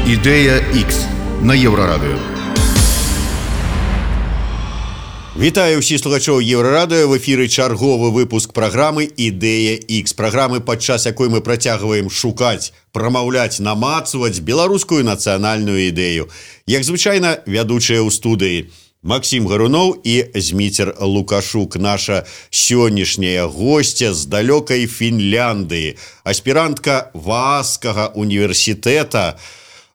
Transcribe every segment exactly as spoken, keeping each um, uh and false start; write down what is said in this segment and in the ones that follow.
Ідея Х на Єврорадіо. Вітаю ўсіх слухачоў Еўрарадыё. В эфіры чарговы выпуск праграмы «Ідэя Х». Праграмы, падчас якой мы працягваем шукаць, прамаўляць, намацваць беларускую нацыянальную ідэю. Як звычайна, вядучыя ў студыі Максим Гаруноў і Зміцер Лукашук. Наша сённяшняя госця з далёкай Фінляндыі, аспірантка Вааскага універсітэта.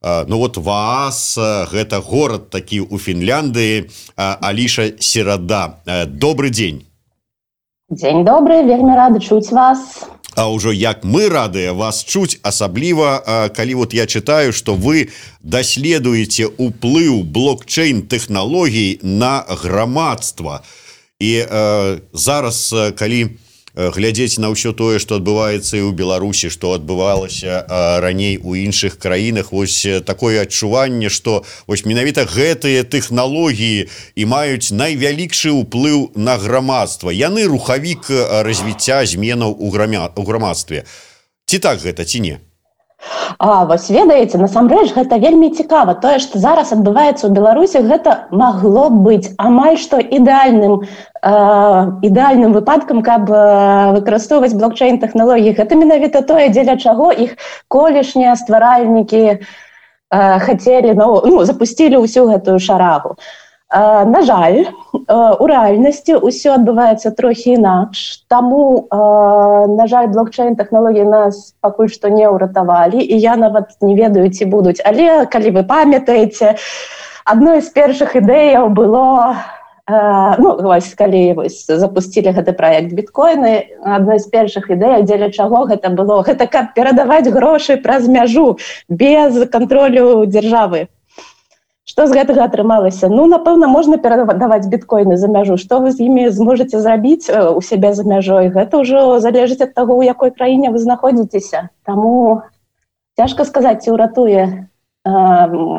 Ну вот Ваас, гэта горад такі ў Фінляндыі. Аліша Серада, добрый дзень. Дзень добры, вельмі рады чуць вас. А ўжо як мы радыя вас чуць, асабліва, калі вот я чытаю, што вы даследуеце ўплыў блокчейн-тэхналогій на грамадства. І э, зараз, калі глядзець на ўсё тое, што адбываецца і ў Беларусі, што адбывалася раней у іншых краінах, вось такое адчуванне, што вось менавіта гэтыя тэхналогіі і маюць найвялікшы ўплыў на грамадства. Яны рухавік развіцця зменаў у грамадстве. Ці так гэта, ці не? А, вось ведаеце, насамрэч гэта вельмі цікава. Тое, што зараз адбываецца ў Беларусі, гэта магло быць амаль што ідэальным, э, ідэальным выпадкам, каб э, выкарыстоўваць блокчейн-тэхналогіі. Гэта менавіта тое, дзеля чаго іх колішнія стваральнікі э, хацелі, ну, ну, запусцілі ўсю гэтую шарагу. Э, на жаль, э, у рэальнасці ўсё адбываецца трохі інакш, таму, э, на жаль, блокчейн-тэхналогіі нас пакуль што не ўратавалі, і я нават не ведаю, ці будуць. Але, калі вы памятаеце, адной з першых ідэяў было, э, ну, вось, калі вось, запусцілі гэты праект біткоіны, адной з першых ідэй, дзеля чаго гэта было, гэта каб перадаваць грошы праз мяжу, без кантролю дзяржавы. Што з гэтага атрымалася? Ну, напэўна, можна перадаваць біткоіны за мяжу. Што вы з імі зможаце зрабіць у сябе за мяжой? Гэта ўжо залежыць ад таго, у якой краіне вы знаходзіцеся. Таму цяжка сказаць, ці ўратуе э,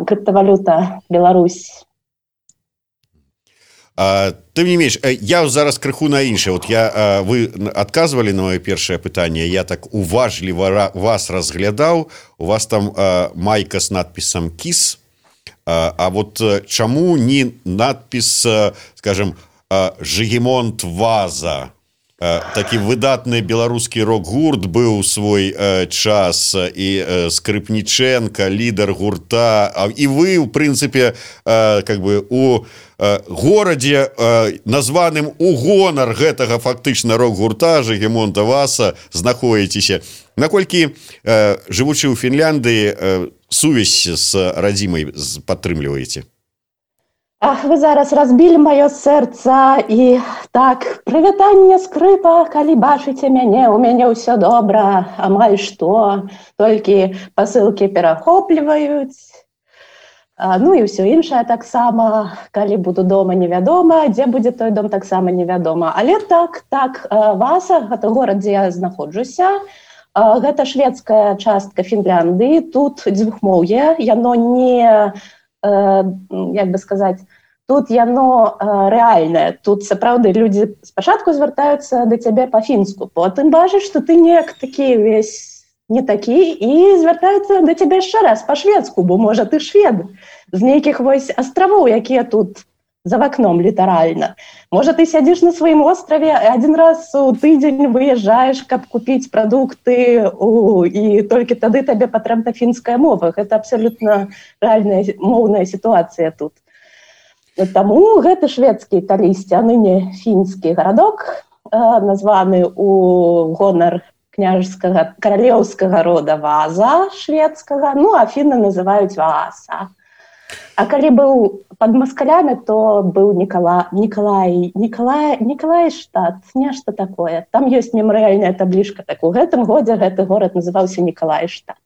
крыптавалюта Беларусь. А, тым не менш, я зараз крыху на іншае. Вот я, вы адказвалі на маё першае пытанне, я так уважліва вас разглядаў. У вас там а, майка з надпісам «Кіс». А, а вот чаму не надпіс, скажем, «Жигемонт Ваза»? Такі выдатны беларускі рок-гурт быў свой час, і Скрипніченка, лідар гурта, і вы, ў прынцыпе, как бы у горадзе, названым у гонар гэтага фактычна рок-гурта Жигемонта Ваза, знаходзіцеся. Наколькі, жывучы ў Фінляндыі, сувязь з радзімай падтрымліваеце? Ах, вы зараз разбілі маё сэрца, і так, прывітанне, скрыпа, калі бачыце мяне, у мяне ўсё добра, амаль што, толькі пасылкі перахопліваюць, а, ну і ўсё іншае таксама, калі буду дома, невядома, дзе будзе той дом, таксама невядома. Але так, так, Васа, гэта горад, дзе я знаходжуся, гэта шведская частка Фінляндыі, тут дзвюхмоўе, яно не, як бы сказаць, тут яно рэальнае, тут сапраўды людзі спачатку звяртаюцца да цябе па-фінску, потым бачыш, што ты неяк такі весь не такі, і звяртаюцца да цябе яшчэ раз па-шведску, бо, можа, ты швед з нейкіх вось астравоў, якія тут за вакном літаральна. Можа, ты сядзіш на сваім остраве, адзін раз у тыдзень выязджаеш, каб купіць прадукты, у, і толькі тады табе патрэбна фінская мова. Гэта абсалютна рэальная моўная сітуацыя тут. Таму гэты шведскі калісьці, а ныне фінскі гарадок, названы у гонар княжскага каралеўскага рода Ваза шведскага, ну, а фіны называюць Вааса. А калі быў пад маскалямі, то быў Нікала... Нікалай... Нікалай... Нікалайштат, нешта такое. Там ёсць мемарыяльная таблічка. Так у гэтым годзе гэты горад называўся Нікалайштат.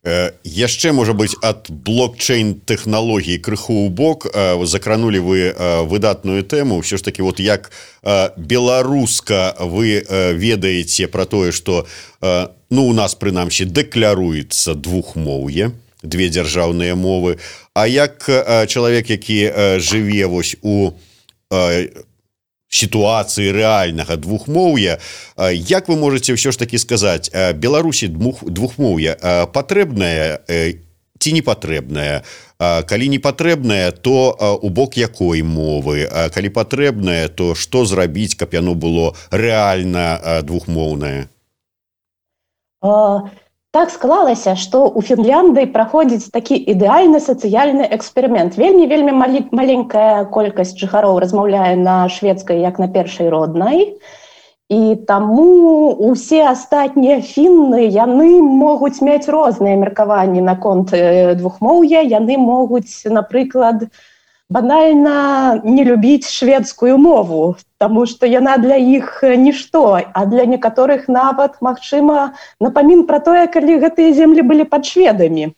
Э, яшчэ, можа быць, ад блокчейн-тэхналогій крыху ў бок. Э, закранулі вы э, выдатную тэму. Ўсё ж такі, вот як э, беларуска вы э, ведаеце пра тое, што э, ну, у нас, прынамсі, дэкляруецца двухмоўе, две дзяржаўныя мовы, а як э, чалавек, які э, жыве вось у э, ситуации реального двухмоўя, як вы можете все ж таки сказать, Беларусі двухмоўя патрэбнае ці не патрэбная? Калі не патрэбная, то у бок якой мовы? Калі патрэбная, то што зрабіць, каб яно было рэальна двухмоўнае? Так склалася, што ў Фінляндыі праходзіць такі ідэальны сацыяльны эксперымент. Вельмі-вельмі маленькая колькасць жыхароў размаўляе на шведскай, як на першай роднай. І таму усе астатнія фінны, яны могуць мець розныя меркаванні наконт двухмоўя. Яны могуць, напрыклад, банальна не любіць шведскую мову, таму што яна для іх нішто, а для некаторых нават, магчыма, напамін пра тое, калі гэтыя землі былі пад шведамі.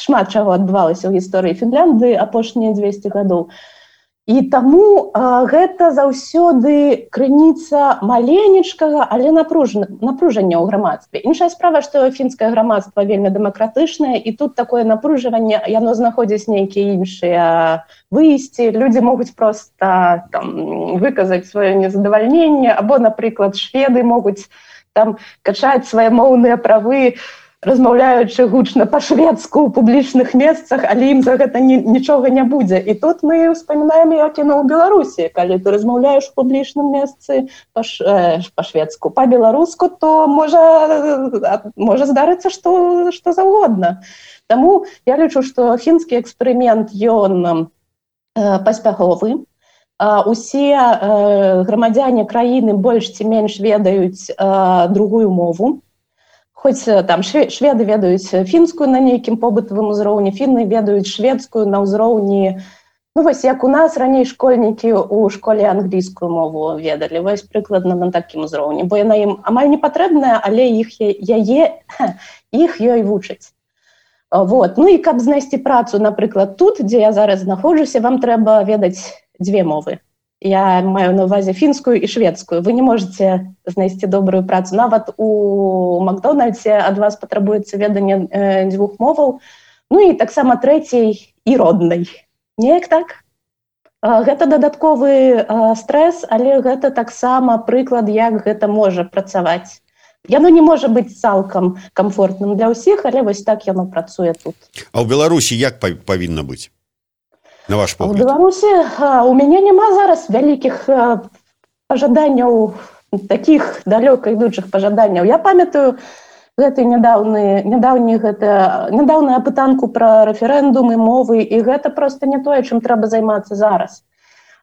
Шмат чаго адбывалася ў гісторыі Фінляндыі апошнія дзвесце гадоў. І таму а, гэта заўсёды крыніца маленечкага, але напружання ў грамадстве. Іншая справа, што фінскае грамадства вельмі дэмакратычнае, і тут такое напружванне, яно знаходзіць нейкія іншыя выйсці. Людзі могуць проста там, выказаць сваё незадавальненне, або, напрыклад, шведы могуць там качаць свае моўныя правы, размаўляючы гучна па-шведску ў публічных месцах, але ім за гэта ні, нічога не будзе. І тут мы ўспамінаем, як яно ў Беларусі. Калі ты размаўляеш у публічным месцы па-шведску, па-беларуску, то можа, можа здарыцца што, што заўгодна. Таму я лічу, што фінскі эксперымент, ён э, паспяховы. А, усе э, грамадзяне краіны больш ці менш ведаюць э, другую мову. Хоць там шведы ведаюць фінскую на нейкім побытавым узроўні, фінны ведаюць шведскую на ўзроўні, ну вось як у нас раней школьнікі ў школе англійскую мову ведалі, вось прыкладна на такім узроўні, бо яна ім амаль не патрэбная, але іх яе, іх ёй вучаць. Вот. Ну і каб знайсці працу, напрыклад, тут, дзе я зараз знаходжуся, вам трэба ведаць дзве мовы. Я маю на ўвазе фінскую і шведскую. Вы не можете знайсці добрую працу. Нават у Макдональдсе ад вас патрабуецца веданне э, дзвюх моваў, ну і таксама трэцяй і роднай. Неяк так? Э, гэта дадатковы э, стрэс, але гэта таксама прыклад, як гэта можа працаваць. Яно не можа быць цалкам камфортным для ўсіх, але вось так яно працуе тут. А ў Беларусі як павінна быць? На ваш погляд? У Беларусі у мяне няма зараз вялікіх пажаданняў, такіх далёка ідучых пажаданняў. Я памятаю гэты нядаўны, нядаўні гэта, нядаўную апытанку пра рэферэндумы, мовы, і гэта проста не тое, чым трэба займацца зараз.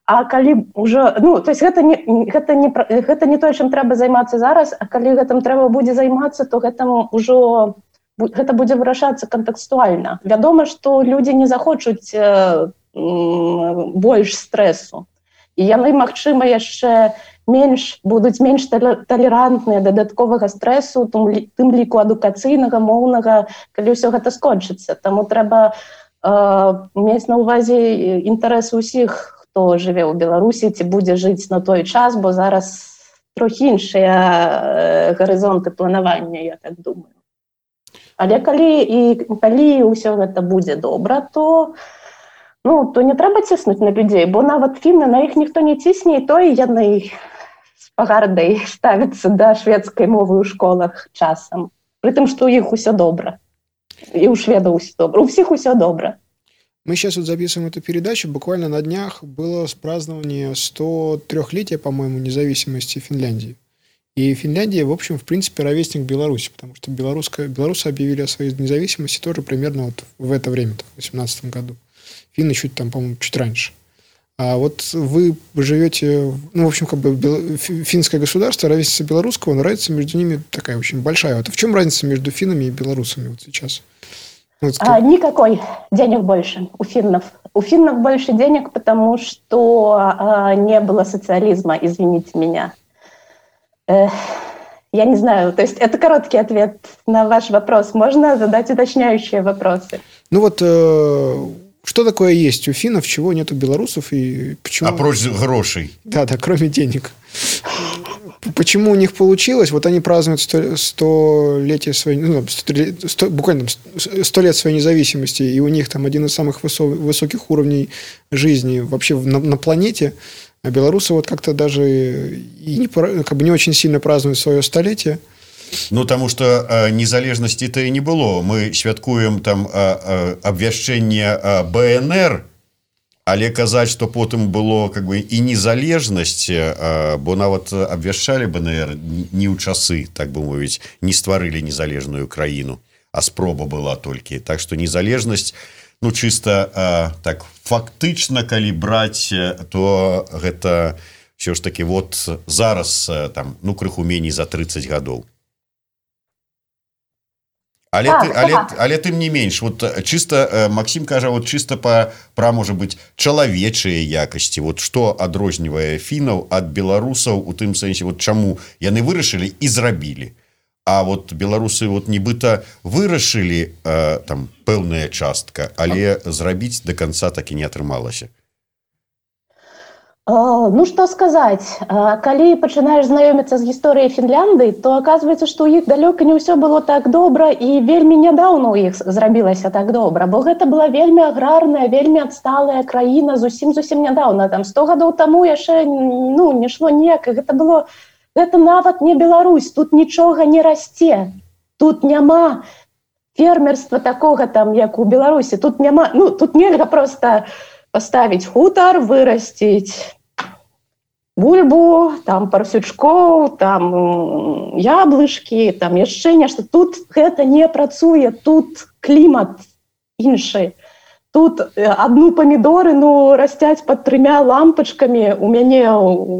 А калі ўжо, ну, то есть гэта не, гэта не, гэта не тое, чым трэба займацца зараз, а калі гэтым трэба будзе займацца, то гэтым ужо гэта будзе вырашацца кантэкстуальна. Вядома, што людзі не захочуць больш стрэсу. І яны, магчыма, яшчэ менш, будуць менш талерантныя дадатковага стрэсу, тым ліку адукацыйнага, моўнага, калі ўсё гэта скончыцца. Таму трэба э, мець на ўвазе інтарэсы ўсіх, хто жыве ў Беларусі, ці будзе жыць на той час, бо зараз трохі іншыя гарызонты планавання, я так думаю. Але калі, і, калі ўсё гэта будзе добра, то ну, то не трэба ціснуць на людзей, бо нават фінны на іх ніхто не цісне, і то і яны з пагардай ставяцца да шведскай мовы ў школах часам. Пры тым, што ў іх усё добра. И у шведов усё добра. У всех усё добра. Мы сейчас вот записываем эту передачу. Буквально на днях было празднование сто трёхлетия, по-моему, независимости Финляндии. И Финляндия, в общем, в принципе, ровесник Беларуси, потому что белорусы объявили о своей независимости тоже примерно вот в это время, в две тысячи восемнадцатом году. Финны чуть там, по-моему, чуть раньше. А вот вы живете, ну, в общем, как бы финское государство, ровесница белорусского, но разница между ними такая очень большая. Вот в чем разница между финнами и белорусами вот сейчас? Вот а, никакой. Денег больше у финнов. У финнов больше денег, потому что а, не было социализма, извините меня. Эх, я не знаю, то есть это короткий ответ на ваш вопрос. Можно задать уточняющие вопросы? Ну вот... Э... Что такое есть у финнов, чего нет у белорусов и почему... А против грошей. Да, да, кроме денег. Почему у них получилось? Вот они празднуют столетие своей... Ну, сто, сто, буквально сто лет своей независимости, и у них там один из самых высо, высоких уровней жизни вообще на, на планете. А белорусы вот как-то даже и не, как бы не очень сильно празднуют свое столетие. Ну таму что незалежнасці-то і не было. Мы святкуем там абвяшчэнне БНР, але казаць, што потым было как бы і незалежнасць, бо нават абвяшчалі БНР не ў часы, так бы мовіць, не стварылі незалежную краіну, а спроба была толькі. Так што незалежнасць, ну чыста так фактычна, калі браць, то гэта все ж таки вот зараз там ну крыху меней за тридцать гадоў. Але, так, ты, але, так. але тым не менш вот чыста Максим кажа вот чыста па пра можа быць чалавечыя якасці, вот што адрознівае фінаў ад беларусаў у тым сэнсе вот чаму яны вырашылі і зрабілі, а вот беларусы вот нібыта вырашылі э, там пэўная частка, але зрабіць до конца так і не атрымалася. Ну, что сказать, калі пачынаеш знаёміцца з гісторыяй Фінляндыі, то оказывается, што ў іх далёка не ўсё было так добра і вельмі нядаўна ў іх зрабілася так добра, бо гэта была вельмі аграрная, вельмі адсталая краіна зусім-зусім нядаўна, там сто гадоў таму яшчэ ну, не шло ніяк, гэта было, гэта нават не Беларусь, тут нічога не расце, тут няма фермерства такога там, як у Беларусі, тут няма, ну, тут нельга просто паставіць хутар, вырасціць бульбу, там парсючкоў, там яблышкі, там яшчэ нешта. Тут гэта не працуе, тут клімат іншы. Тут адну памідоры ну, расцяць пад трымя лампачкамі у мяне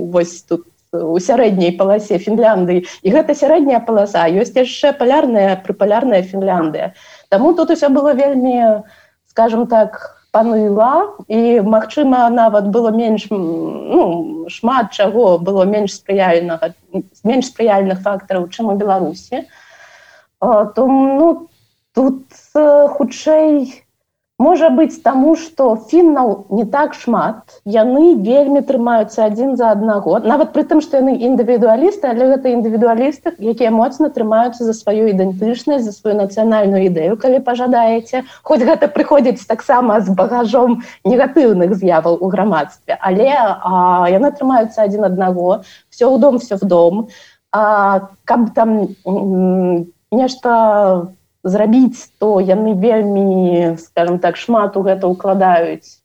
вось тут у сярэдняй паласе Фінляндыі. І гэта сярэдняя паласа, ёсць яшчэ палярная, прыпалярная Фінляндыя. Таму тут усё было вельмі, скажем так, паныла, і, магчыма, нават было менш, ну, шмат чаго было менш спрыяльнага, менш спрыяльных фактараў, чым у Беларусі. То, ну, тут хутчэй можа быць таму, што фіннаў не так шмат, яны вельмі трымаюцца адзін за аднаго, нават пры тым, што яны індывідуалісты, але гэта індывідуалісты, якія моцна трымаюцца за сваю ідэнтычнасць, за сваю нацыянальную ідэю, калі пажадаеце. Хоць гэта прыходзіць таксама з багажом негатыўных з'яваў у грамадстве, але а, яны трымаюцца адзін аднаго, все ў дом, все в дом. А, каб там м, нешта зрабіць, то яны вельмі, скажем так, шмат у гэта ўкладаюць.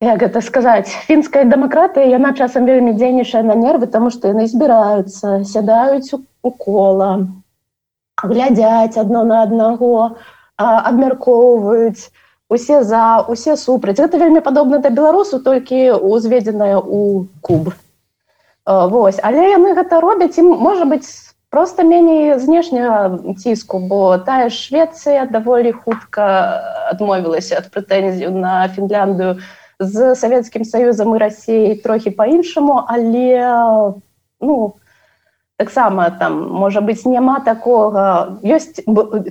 Як гэта сказаць? Фінская дэмакратыя, яна часам вельмі дзейнічае на нервы, таму што яны збіраюцца, сядаюць у кола, глядзяць адно на аднаго, абмяркоўваюць, усе за, усе супраць. Гэта вельмі падобна да беларусу, толькі узведзенае ў куб. Вось. Але яны гэта робяць, і, можа быць, просто меней знешняга ціску, бо тая ж Швецыя даволі хутка адмовілася ад прэтэнзій на Фінляндыю. З Савецкім Саюзам і Расіяй трохі па-іншаму, але ну, таксама там, можа быць, няма такога... Ёсць,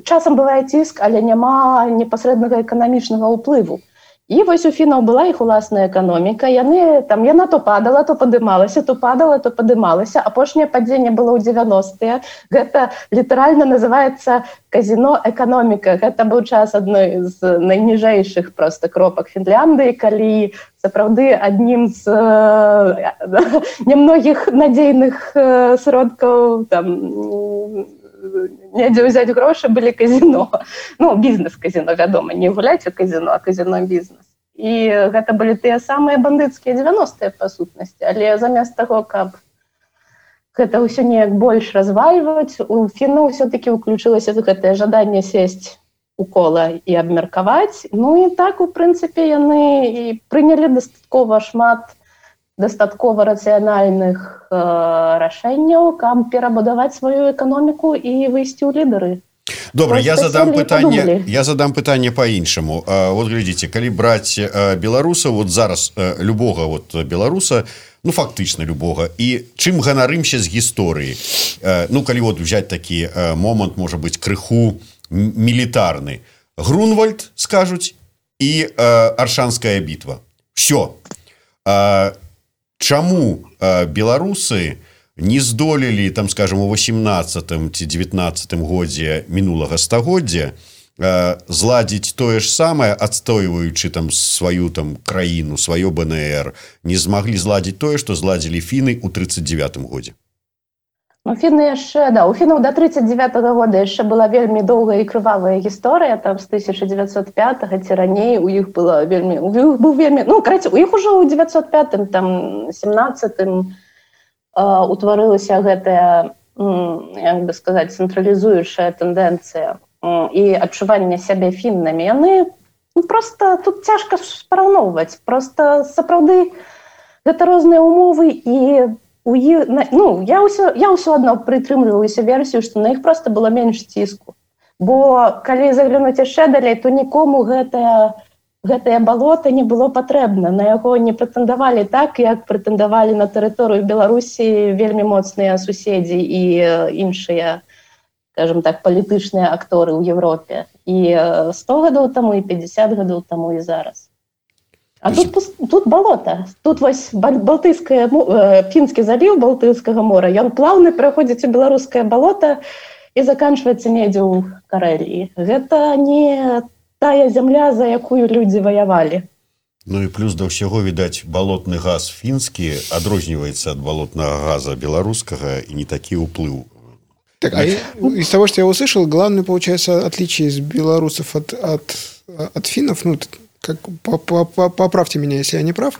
часам бывае ціск, але няма непасрэднага эканамічнага ўплыву. І вось у фінаў была іх уласная эканоміка, яны, там, яна то падала, то падымалася, то падала, то падымалася. Апошняе падзенне было ў дзевяностыя. Гэта літаральна называецца казіно-эканоміка. Гэта быў час адной з найніжэйшых проста кропак Фінляндыі, калі сапраўды аднім з э, немногіх надзейных э, сродкаў там, недзе ўзяць грошы былі казіно. Ну, бізнес-казіно, вядома, не гуляць у казіно, а казіно-бізнес. І гэта былі тыя самыя бандыцкія дзевяностыя па сутнасці. Але замест таго, каб гэта ўсё неяк больш развальваць, у фінаў ўсё-такі ўключылася гэтае жаданне сесць у кола і абмеркаваць. Ну і так, у прынцыпе, яны і прынялі дастаткова шмат дастаткова рацыянальных э, рашэнняў, каб перабудаваць сваю эканоміку і выйсці ў лідары. Добра, я задам пытанне, я задам пытанне по-іншаму. Вот глядзіце, калі браць беларусаў, вот зараз любога вот беларуса, ну фактычна любога, і чым ганарымся з гісторыі. Ну калі вот взять такі момант, можа быць, крыху мілітарны. Грунвальд, скажуць, і Аршанская бітва. Всё. Чаму беларусы не здолелі, там, скажем, у восемнадцатым ці дзевятнаццатым годзе мінулага стагоддзя зладзіць тое ж самае, адстойваючы там сваю там краіну, сваё БНР, не змаглі зладзіць тое, што зладзілі фіны ў тридцать девятым годзе? Ну, фіны яшчэ, да, у фінаў да тридцать девятого года яшчэ была вельмі доўгая і крывавая гісторыя, там з тысяча девятьсот пятого ці раней у іх была вельмі, у іх быў вельмі, ну, караце, у іх ужо ў девятьсот пятым, там, семнадцатым э, утварылася гэтая, як бы сказаць, цэнтралізуючая тэндэнцыя э, і адчуванне сябе фіннамі. Яны, ну, проста тут цяжка параўноўваць, проста сапраўды гэта розныя умовы і у іх, ну, я ўсё, я ўсё адно прытрымліваюся версію, што на іх проста было менш ціску. Бо калі заглянуць яшчэ далей, то нікому гэтае, гэтае балота не было патрэбна. На яго не прэтэндавалі так, як прэтэндавалі на тэрыторыю Беларусі вельмі моцныя суседзі і іншыя, скажем так, палітычныя акторы ў Европе. І сто гадоў таму, і пятьдесят гадоў таму, і зараз. А тут, тут балота. Тут вось Балтыйскае, Фінскі заліў Балтыйскага мора, ён плаўна пераходзіць у беларускае балота і заканчваецца недзе ў Карэліі. Гэта не тая зямля, за якую людзі ваявалі. Ну і плюс да ўсяго, відаць, балотны газ фінскі адрозніваецца ад балотнага газа беларускага і не такі ўплыў. Так, а из того, что я услышал, главное, получается, отличие из белорусов от, от, от финнов, ну, как, поправьте меня, если я не прав.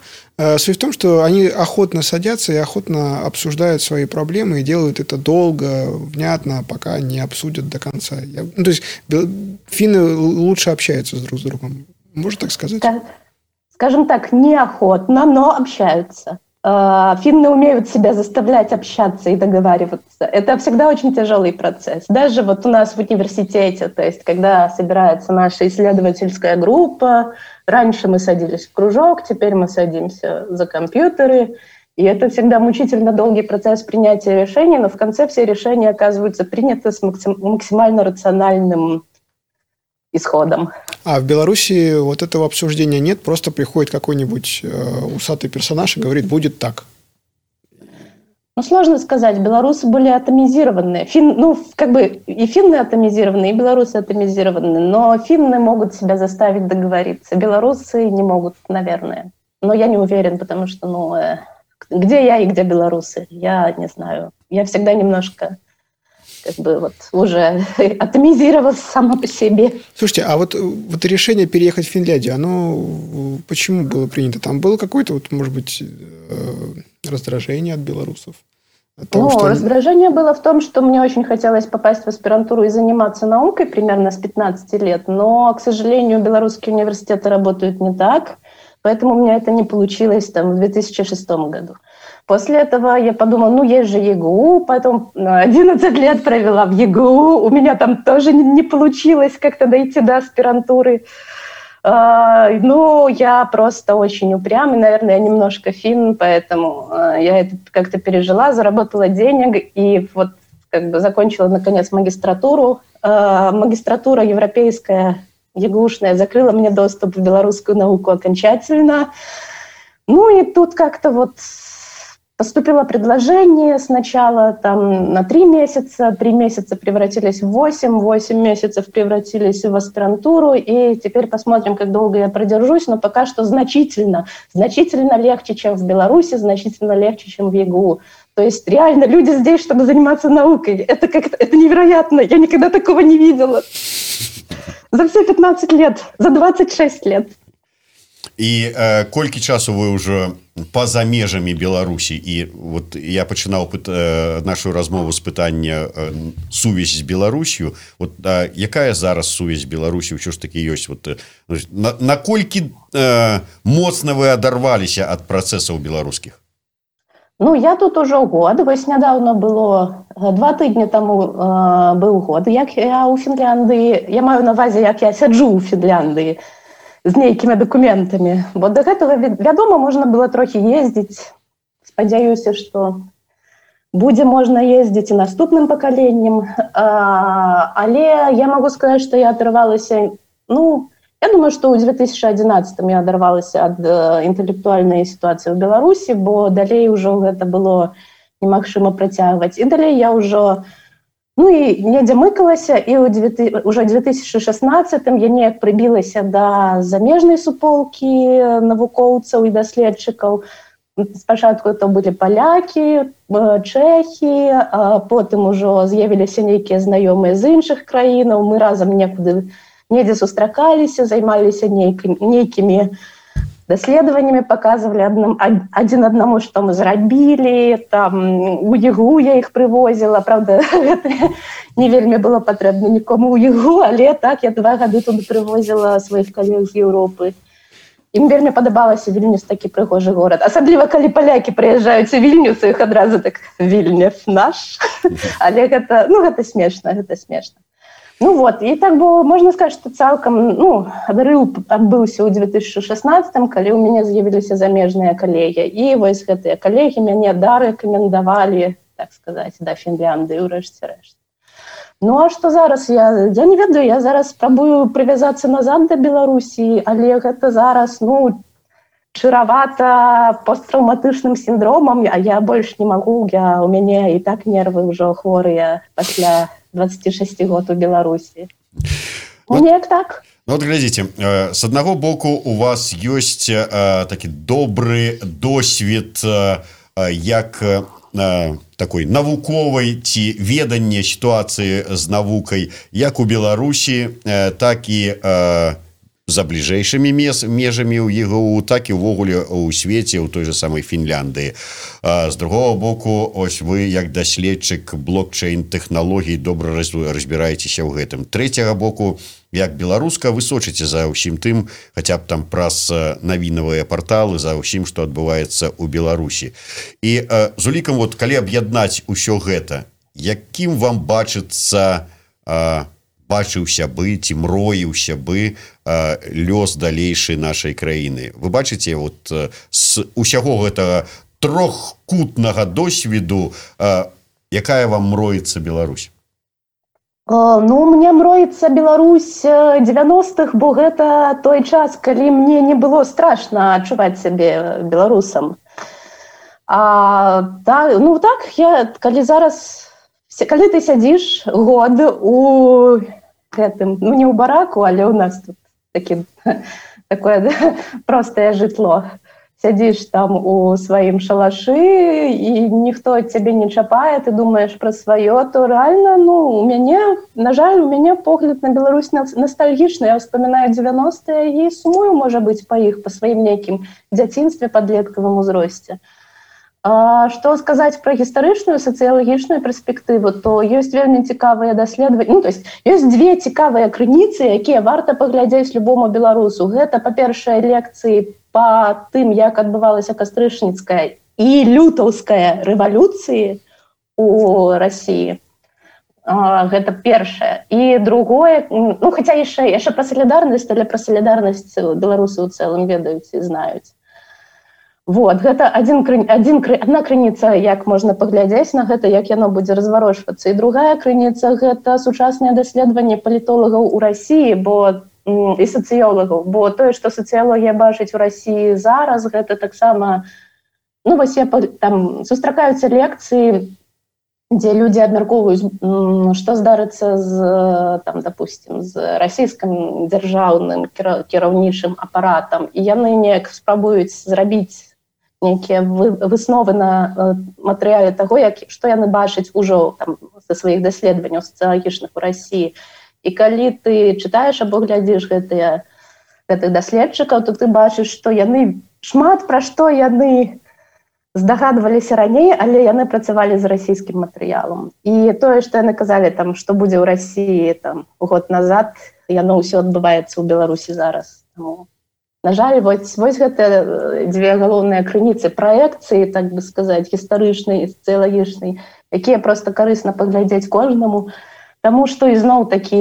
Суть в том, что они охотно садятся и охотно обсуждают свои проблемы и делают это долго, внятно, пока не обсудят до конца. Я, ну, то есть финны лучше общаются друг с другом. Можно так сказать? Скажем так, неохотно, но общаются. Финны умеют себя заставлять общаться и договариваться. Это всегда очень тяжелый процесс. Даже вот у нас в университете, то есть когда собирается наша исследовательская группа, раньше мы садились в кружок, теперь мы садимся за компьютеры, и это всегда мучительно долгий процесс принятия решений, но в конце все решения оказываются приняты с максимально рациональным исходом. А в Беларуси вот этого обсуждения нет, просто приходит какой-нибудь э, усатый персонаж и говорит, будет так. Ну, сложно сказать, белорусы были атомизированы. Фин, ну, как бы и финны атомизированы, и белорусы атомизированы, но финны могут себя заставить договориться, белорусы не могут, наверное. Но я не уверен, потому что, ну, э, где я и где белорусы, я не знаю. Я всегда немножко... как бы вот уже атомизировалась сама по себе. Слушайте, а вот, вот решение переехать в Финляндию, оно почему было принято? Там было какое-то, вот, может быть, раздражение от белорусов? От того, ну, что... раздражение было в том, что мне очень хотелось попасть в аспирантуру и заниматься наукой примерно с пятнадцати лет, но, к сожалению, белорусские университеты работают не так, поэтому у меня это не получилось там в две тысячи шестом году. После этого я подумала, ну, есть же ЕГУ, потом одиннадцать лет провела в ЕГУ, у меня там тоже не получилось как-то дойти до аспирантуры. Ну, я просто очень упрямый, наверное, я немножко финн, поэтому я это как-то пережила, заработала денег и вот как бы закончила, наконец, магистратуру. Магистратура европейская, ЕГУшная, закрыла мне доступ в белорусскую науку окончательно. Ну, и тут как-то вот... Поступило предложение сначала там, на три месяца, три месяца превратились в восемь, восемь месяцев превратились в аспирантуру, и теперь посмотрим, как долго я продержусь, но пока что значительно, значительно легче, чем в Беларуси, значительно легче, чем в ЕГУ. То есть реально люди здесь, чтобы заниматься наукой. Это, как-то, это невероятно, я никогда такого не видела. За все пятнадцать лет, за двадцать шесть лет. І э, колькі часу вы ўжо па-за межамі Беларусі, і вот я пачынаў э, нашу размову з пытання э, сувязь з Беларусью, вот э, якая зараз сувязь з Беларусі ўсё ж таки ёсць, вот э, на, наколькі э, моцна вы адарваліся ад працэсаў беларускіх? Ну, я тут уже год, вось нядаўна было, два тыдні таму э, быў год, як я ў Фінляндыі, я маю на ўвазе, як я сяджу ў Фінляндыі, з нейкімі дакументамі. Бо да гэтага, вядома, можна было трохі ездзіць. Спадзяюся, што будзе можна ездзіць і наступным пакаленнем. А, але я магу сказаць, што я адарвалася... Ну, я думаю, што ў две тысячи одиннадцатым я адарвалася ад інтэлектуальнай сітуацыі ў Беларусі, бо далей ужо гэта было немагчыма працягваць. І далей я ўжо... Ну і недзе мыкалася, і ўжо ў две тысячи шестнадцатым я неяк прыбілася да замежнай суполкі навукоўцаў і даследчыкаў. спачатку то былі палякі, чэхі, а потым ужо з'явіліся нейкія знаёмыя з іншых краінаў, мы разам некуды недзе сустракаліся, займаліся нейкімі, нейкімі даследаваннямі, паказвалі адным, адзін аднаму, што мы зрабілі, там у ЕГУ я іх прывозіла, правда, гэта не вельмі было патрэбна нікому ў ЕГУ, але так, я два гады тут прывозіла сваіх калег з Еўропы. Ім вельмі падабалася Вільнюс, такі прыгожы горад. Асабліва, калі палякі прыязджаюць у Вільнюс, іх адразу так Вільнюс наш. Але гэта, ну, гэта смешна, гэта смешна. Ну вот, і так было, можна сказаць, што цалкам, ну, адрыў адбыўся ў две тысячы шаснаццатым, калі ў мяне з'явіліся замежныя калегі. І вось гэтыя калегі мяне дарэкамендавалі, так сказаць, да Фінляндыі ў рэшце-рэшт. Ну, а што зараз? Я, я не ведаю, я зараз спрабую прывязацца назад да Беларусі, але гэта зараз, ну, чаравата посттраўматычным сіндромам, а я больш не магу, я, у мяне і так нервы ўжо хворыя пасля двадцати шести год у Беларусі. Ну, неяк так. Ну, вот глядзіце, с аднаго боку у вас ёсць такі добры досвед як такой навуковай ці веданне сітуацыі з навукай як у Беларусі, так і за бліжэйшымі межамі ў ЕГУ, так і ўвогуле ў свеце, у той же самой Фінляндыі. З другого боку, ось вы, як даследчык блокчейн-тэхналогій, добра разбіраецеся ў гэтым. Трэцяга боку, як беларуска, вы сочыце за ўсім тым, хаця б там праз навінавыя парталы, за ўсім, што адбываецца ў Беларусі. І э, з улікам, вот, калі аб'яднаць усё гэта, якім вам бачыцца э, бачыўся бы ці мроіўся бы э, лёс далейшай нашай краіны? Вы бачыце, вот, э, з усяго гэтага трохкутнага досведу, э, якая вам мроіцца Беларусь? Ну, мне мроіцца Беларусь дзевяностых, бо гэта той час, калі мне не было страшна адчуваць сябе беларусам. А, та, ну так, я, калі зараз, калі ты сядзіш год у гэтым, ну не ў бараку, але ў нас тут такі, такое да, простае жытло. Сядзіш там у сваім шалашы, і ніхто цябе не чапае, ты думаеш пра сваё, то рэальна, ну, у мяне, на жаль, у мяне погляд на Беларусь ностальгічны. Я ўспамінаю дзевяностыя і сумую, можа быць, па іх, па сваім нейкім дзяцінстве, падлеткавым узросце. А што сказаць пра гістарычную сацыялагічную перспектыву, то ёсць вельмі цікавыя даследаванні. Ну, то есть ёсць две цікавыя крыніцы, якія варта паглядзець любому беларусу. Гэта, па-першае, лекцыі па тым, як адбывалася кастрычніцкая і лютаўская рэвалюцыі у Расіі. А, гэта першае. І другое, ну, хаця яшчэ, яшчэ пра салідарнасць, але пра салідарнасць беларусы ў цэлым ведаюць і знаюць. Вот, гэта адзін, адзін, адна крыніца, як можна паглядзець на гэта, як яно будзе разварочвацца. І другая крыніца – гэта сучаснае даследаванне палітолагаў у Расіі, бо і сацыёлагаў, бо тое, што сацыялогія бачыць у Расіі зараз, гэта таксама, ну, вось я там сустракаюцца лекцыі, дзе людзі абмяркоўваюць, што здарыцца з, там, допустим, з расійскім дзяржаўным кіраўнічым апаратам, і яны неяк спрабуюць зрабіць нейкія высновы на матэрыяле таго, як, што яны бачаць ужо там са сваіх даследаванняў сацыялагічных у Расіі. І калі ты чытаеш або глядзіш гэтыя, гэтых даследчыкаў, то ты бачыш, што яны шмат пра што яны здагадваліся раней, але яны працавалі з расійскім матэрыялам. І тое, што яны казалі, там, што будзе ў Расіі там, год назад, яно ўсё адбываецца ў Беларусі зараз. Тому, на жаль, вось, вось гэтыя дзве галоўныя крыніцы праекцыі, так бы сказаць, гістарычнай і сацыялагічнай, якія проста карысна паглядзець кожнаму. Таму што ізноў такі,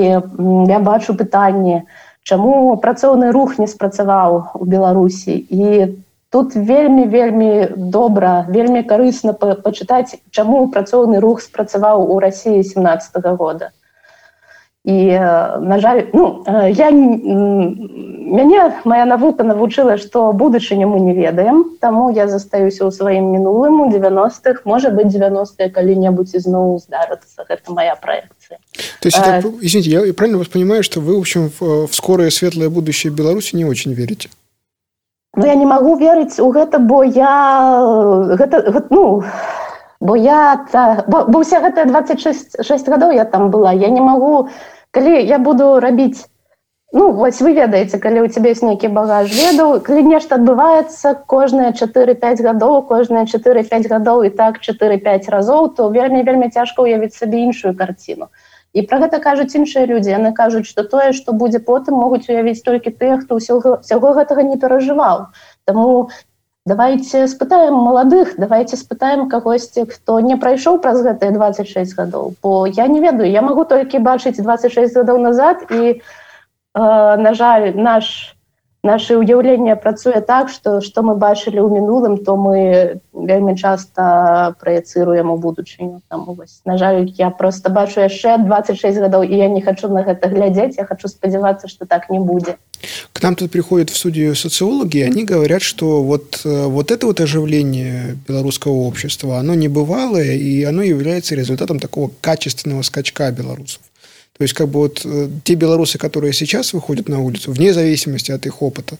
я бачу пытанне, чаму працоўны рух не спрацаваў у Беларусі. І тут вельмі-вельмі добра, вельмі карысна пачытаць, чаму працоўны рух спрацаваў у Расіі семнаццатага года. І, на жаль, ну, я, мяне моя навука навучыла, што будучыню мы не ведаем, таму я застаюся ў сваім мінулым у девяностых, можа быць, девяностыя калі-небудзь ізноў здарыцца. Гэта моя проекция. То есть, а, это, извините, я правильно вас понимаю, что вы, в общем, в, в скорое светлое будущее Беларуси не очень верите? Ну, я не магу верыць у гэта, бо я гэта, ну, бо я бо, бо ўся гэтыя дваццаць шэсць гадоў я там была. Я не магу, калі я буду рабіць, ну, вось вы ведаеце, калі ў цябе ёсць нейкі багаж ведаў, калі нешта адбываецца кожныя чатыры-пяць гадоў, кожныя чатыры-пяць гадоў і так чатыры-пяць разоў, то вельмі-вельмі цяжка ўявіць сабе іншую карціну. І пра гэта кажуць іншыя людзі. Яны кажуць, што тое, што будзе потым, могуць уявіць толькі тыя, хто ўсяго, ўсяго гэтага не перажываў. Таму давайце спытаем маладых, давайце спытаем кагосьці, хто не прайшоў праз гэтыя дваццаць шэсць гадоў. Бо я не ведаю, я магу толькі бачыць дваццаць шэсць гадоў назад, і, э, на жаль, наш... Наше ўяўленне працуе так, што што мы бачылі ў мінулым, то мы вельмі часта праецыруем у будучыню. Там, вось, на жаль, я просто бачу яшчэ дваццаць шэсць гадоў, і я не хочу на гэта глядзець, я хочу спадзявацца, что так не будет. К нам тут приходят в студию социологи, и они говорят, что вот, вот это вот оживление белорусского общества, оно небывалое, и оно является результатом такого качественного скачка белорусов. То есть, как бы вот те белорусы, которые сейчас выходят на улицу, вне зависимости от их опыта,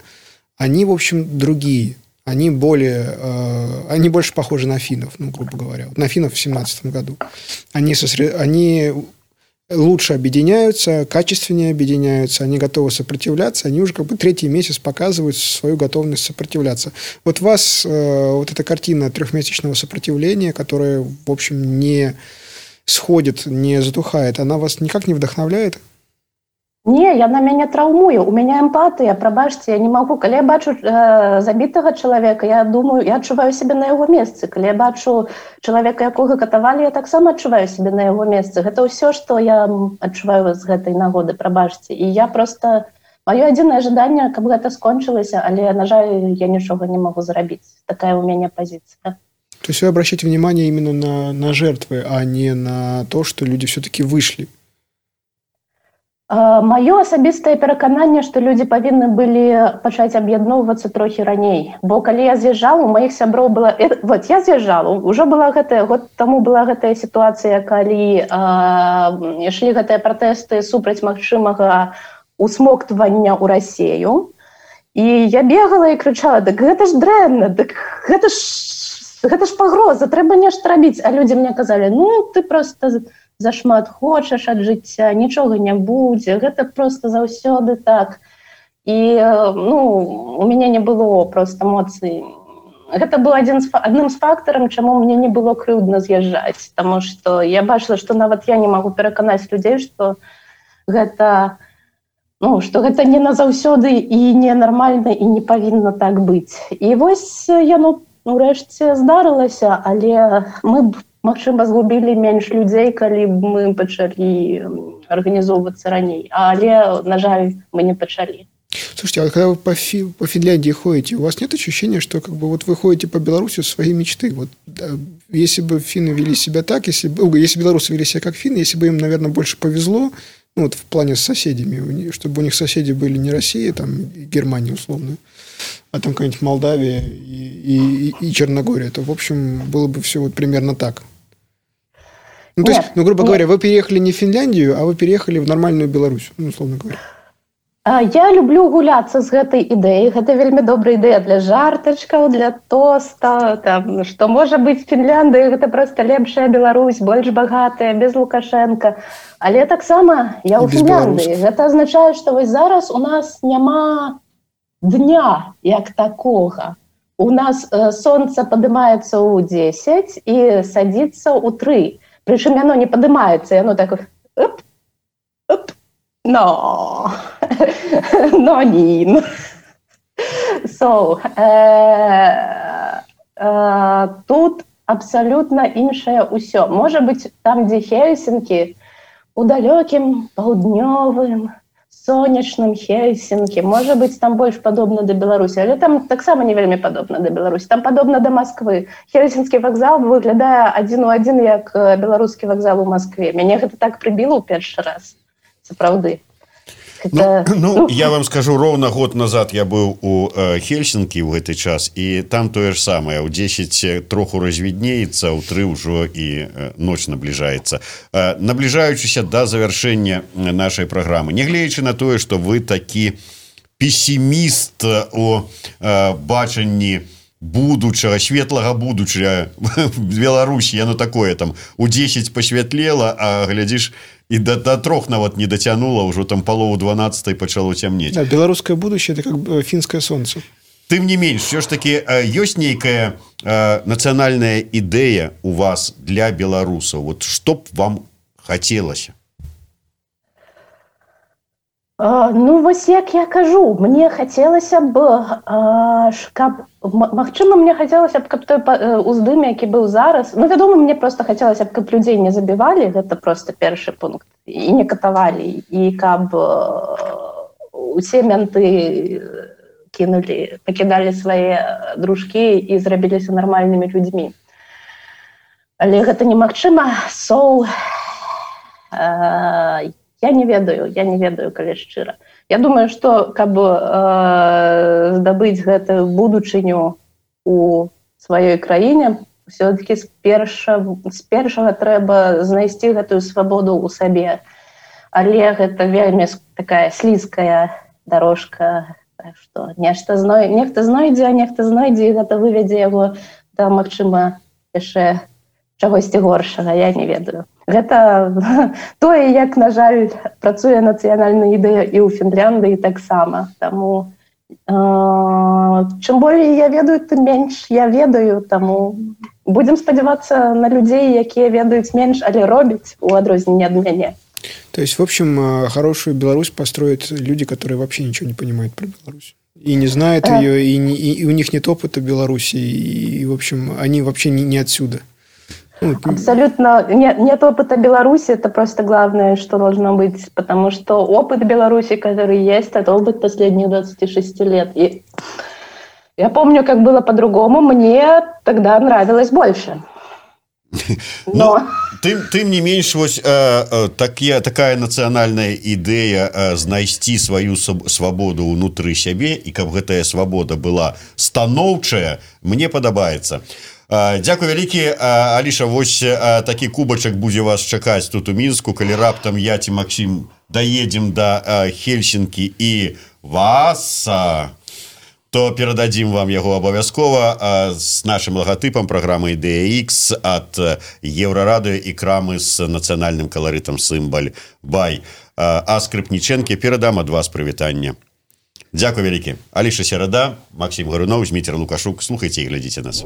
они, в общем, другие. Они более, э, они больше похожи на финнов, ну, грубо говоря. Вот на финнов в семнадцатом году. Они, сосред... они лучше объединяются, качественнее объединяются, они готовы сопротивляться, они уже как бы третий месяц показывают свою готовность сопротивляться. Вот вас э, вот эта картина трехмесячного сопротивления, которая, в общем, не... сходит, не затухает, она вас никак не вдохновляет? Не, яна мяне траўмуе, у мяне эмпатыя, прабачце, я не магу. Калі я бачу э, забітага чалавека, я думаю, я адчуваю сябе на яго месцы. Калі я бачу чалавека, якога катавалі, я таксама адчуваю сябе на яго месцы. Гэта ўсё, што я адчуваю з гэтай нагоды, прабачце. І я просто... Маё адзінае жаданне, каб гэта скончылася, але, на жаль, я нічога не магу зрабіць. Такая у мяне пазіцыя. То есть вы обращаете внимание именно на, на жертвы, а не на то, что люди все-таки вышли? Маё асабістае перакананне, што людзі павінны былі пачаць аб'ядноўвацца трохі раней. Бо калі я з'язджала, у маіх сяброў была... Вот, я з'язджала, ўжо была гэтая... Год таму была гэтая сітуацыя, калі э, ішлі гэтыя пратэсты супраць магчымага усмоктвання ў Расею. І я бегала і крычала: «Дык гэта ж дрэнна, дык гэта ж... Гэта ж пагроза, трэба нешта рабіць». А людзі мне казалі: «Ну, ты просто зашмат хочаш ад жыцця, нічога не будзе, гэта просто заўсёды так». І, ну, у мяне не было просто эмоцый. Гэта быў адзін з, адным з фактараў, чаму мне не было крыўдна з'язджаць. Таму што я бачыла, што нават я не магу пераканаць людзей, што гэта, ну, што гэта не назаўсёды і ненармальна, і не павінна так быць. І вось яно урэшце здарылася, але мы б, магчыма, згубілі менш людзей, калі б мы пачалі арганізоўвацца раней. Але, на жаль, мы не пачалі. Слушайте, а когда вы по, Фи, по Финляндии ходите, у вас нет ощущения, что как бы вот вы ходите по Беларуси в свои мечты? Вот, да, если бы финны вели себя так, если бы, если белорусы вели себя как финны, если бы им, наверное, больше повезло, ну, вот в плане с соседями, чтобы у них соседи были не Россия, там, Германия условно, а там какая-нибудь Молдавия и, и, и Черногория, то, в общем, было бы все вот примерно так. Ну, то нет, есть, ну, грубо нет. говоря, вы переехали не в Финляндию, а вы переехали в нормальную Беларусь, ну, условно говоря. Я люблю гуляцца з гэтай ідэяй. Гэта вельмі добрая ідэя для жартачкаў, для тоста, там, што можа быць Фінляндыя, гэта проста лепшая Беларусь, больш багатая, без Лукашенка. Але таксама я ў Фінляндыі. Гэта азначае, што вось зараз у нас няма дня як такога. У нас э, сонца падымаецца ў дзесяць і садзіцца ў тры. Прычым яно не падымаецца, яно так оп, оп, no, no nin. So, э, э, тут абсалютна іншае ўсё. Можа быць, там, дзе Хельсінкі, у далёкім паўднёвым сонечным Хельсінкі, можа быць, там больш падобна да Беларусі, але там таксама не вельмі падобна да Беларусі. Там падобна да Масквы. Хельсінскі вакзал выглядае адзін у адзін як беларускі вакзал у Маскве. Мяне гэта так прыбіла ў першы раз. Сапраўды. Это... Ну, ну, я вам скажу, ровно год назад я быў у э, Хельсінкі ў гэты час, і там тое ж самае. У дзесяць троху развіднеецца, у тры ўжо і э, ноч набліжаецца. Э, набліжаючыся да завяршэння нашай праграмы, нягледзячы на тое, што вы такі песіміст у э, бачанні будучага, светлага будучага Беларусі, яно такое там у дзесяць пасвятлела, а глядзіш, і до, до трох нават не дацянула, ўжо там палову дванаццатай пачало цямнець. Да, беларускае будущее – это как фінскае сонца. Тым не менш, все ж таки ёсць нейкая э, нацыянальная ідэя у вас для беларусаў. Вот што б вам хацелася? А, ну, вось як я кажу, мне хацелася б, а, каб, магчыма, мне хацелася б, каб той уздым, які быў зараз, ну, вядома, мне просто хацелася б, каб людзей не забівалі, гэта просто першы пункт, і не катавалі, і каб усе менты кинули, покидали свои дружкі і зрабіліся нармальнымі людзьмі. Але гэта немагчыма. So, э, я не ведаю, я не ведаю, калі шчыра. Я думаю, што каб э, здабыць гэтую будучыню у сваёй краіне, все-таки з першага, з першага трэба знайсці гэтую свабоду ў сабе. Але гэта вельмі такая слізкая дорожка, што нешта зной... нехта знойдзе, а нехта знойдзе, і гэта выведзе яго да, магчыма, яшчэ чагосьці горшага, я не ведаю. Гэта тое, як, на жаль, працуе нацыянальная ідэя і ў Фінляндыі таксама. Таму э, чым болей я ведаю, тым менш я ведаю, таму будзем спадзявацца на людзей, якія ведаюць менш, але робяць у адрозненне ад мяне. То есть, в общем, хорошую Беларусь построят люди, которые вообще ничего не понимают про Беларусь. И не знают а. ее, и, не, и у них нет опыта Беларуси, и, и в общем, они вообще не, не отсюда. Ну, абсолютно нет, нет опыта Беларуси, это просто главное, что должно быть, потому что опыт Беларуси, который есть, это опыт последних двадцати шести лет. И я помню, как было по-другому, мне тогда нравилось больше. Но... Тым, тым не менш, вось, э, э, такі, такая нацыянальная ідэя э, знайсці сваю свабоду ўнутры сябе, і каб гэтая свабода была станоўчая, мне падабаецца. Э, дзякуй вялікі, э, Аліша, вось э, такі кубачак будзе вас чакаць тут у Мінску, калі раптам я ці Максім даедзем да э, Хельсінкі і вас... Э, то перададзім вам яго абавязкова з нашым лагатыпам праграмы Ідэя Ікс ад Еўрарадыё і крамы з нацыянальным каларытам сімбаль бай. А Скрыпнічэнкі перадам ад вас прывітанне. Дзякуй вялікі. Аліша Серада, Максім Гаруноў, Зміцер Лукашук. Слухайце і глядзіце нас.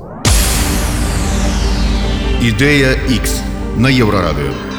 Ідэя Ікс на Еўрарадыё.